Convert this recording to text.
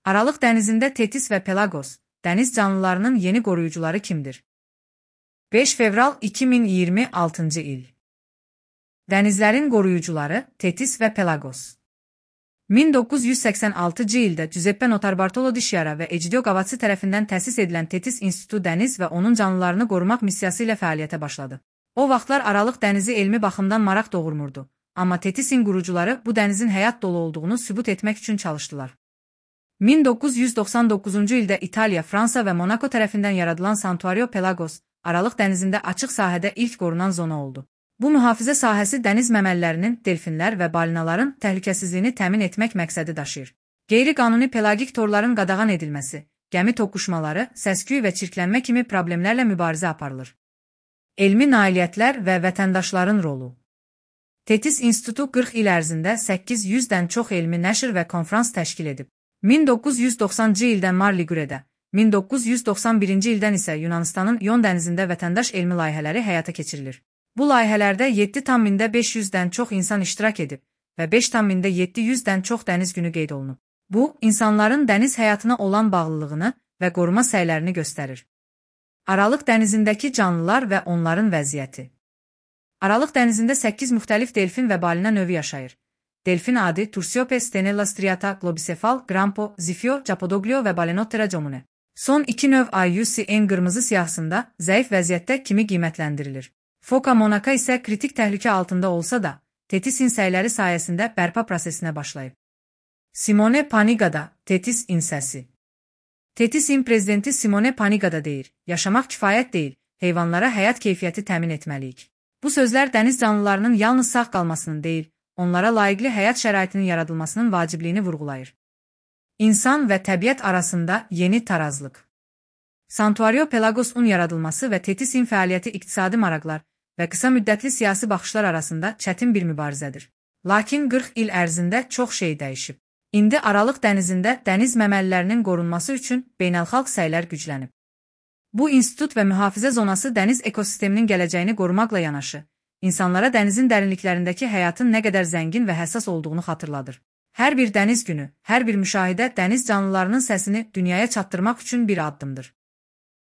Aralıq dənizində Tetis və Pelagos, dəniz canlılarının yeni qoruyucuları kimdir? 5 fevral 2026 il. Dənizlərin qoruyucuları Tetis və Pelagos. 1986 ildə Giuseppe Notarbartolo di Sciarra və Egidio Gavazzi tərəfindən təsis edilən Tetis İnstitutu dəniz və onun canlılarını qorumaq missiyası ilə fəaliyyətə başladı. O vaxtlar Aralıq dənizi elmi baxımdan maraq doğurmurdu, amma Tetisin qurucuları bu dənizin həyat dolu olduğunu sübut etmək üçün çalışdılar. 1999 ildə İtaliya, Fransa və Monaco tərəfindən yaradılan Santuario Pelagos, Aralıq dənizində açıq sahədə ilk qorunan zona oldu. Bu mühafizə sahəsi dəniz məməllərinin, delfinlər və balinaların təhlükəsizliyini təmin etmək məqsədi daşıyır. Qeyri-qanuni pelagik torların qadağan edilməsi, gəmi toqquşmaları, səs-küy və çirklənmə kimi problemlərlə mübarizə aparılır. Elmi nailiyyətlər və vətəndaşların rolu. Tetis İnstitutu 40 il ərzində 800-dən çox elmi nəşr və konfrans təşkil edib. 1990-cı ildən Mar Liguredə, 1991-ci ildən isə Yunanistanın Ion dənizində vətəndaş elmi layihələri həyata keçirilir. Bu layihələrdə 7,500-dən çox insan iştirak edib və 5,700-dən çox dəniz günü qeyd olunub. Bu, insanların dəniz həyatına olan bağlılığını və qoruma səylərini göstərir. Aralıq dənizindəki canlılar və onların vəziyyəti. Aralıq dənizində 8 müxtəlif delfin və balina növü yaşayır. Delfin adi Tursiope stenella striata, globicefal, grampo, zifio, Chapodoglio və Balenottera comune. Son iki növ IUCN qırmızı siyahısında zəif vəziyyətdə kimi qiymətləndirilir. Foca monaca isə kritik təhlükə altında olsa da, Tetis insəkləri sayəsində bərpa prosesinə başlayıb. Simone Panigada, Tetis insəsi. Tetisin prezidenti Simone Panigada deyir, yaşamaq kifayət deyil, heyvanlara həyat keyfiyyəti təmin etməliyik. Bu sözlər dəniz canlılarının yalnız sağ qalmasının deyil, onlara layiqli həyat şəraitinin yaradılmasının vacibliyini vurğulayır. İnsan və təbiət arasında yeni tarazlıq. Santuario Pelagos-un yaradılması və Tetisin fəaliyyəti iqtisadi maraqlar və qısa müddətli siyasi baxışlar arasında çətin bir mübarizədir. Lakin 40 il ərzində çox şey dəyişib. İndi Aralıq dənizində dəniz məməlilərinin qorunması üçün beynəlxalq səylər güclənib. Bu institut və mühafizə zonası dəniz ekosisteminin gələcəyini qorumaqla yanaşı, İnsanlara dənizin dərinliklərindəki həyatın nə qədər zəngin və həssas olduğunu xatırladır. Hər bir dəniz günü, hər bir müşahidə dəniz canlılarının səsini dünyaya çatdırmaq üçün bir addımdır.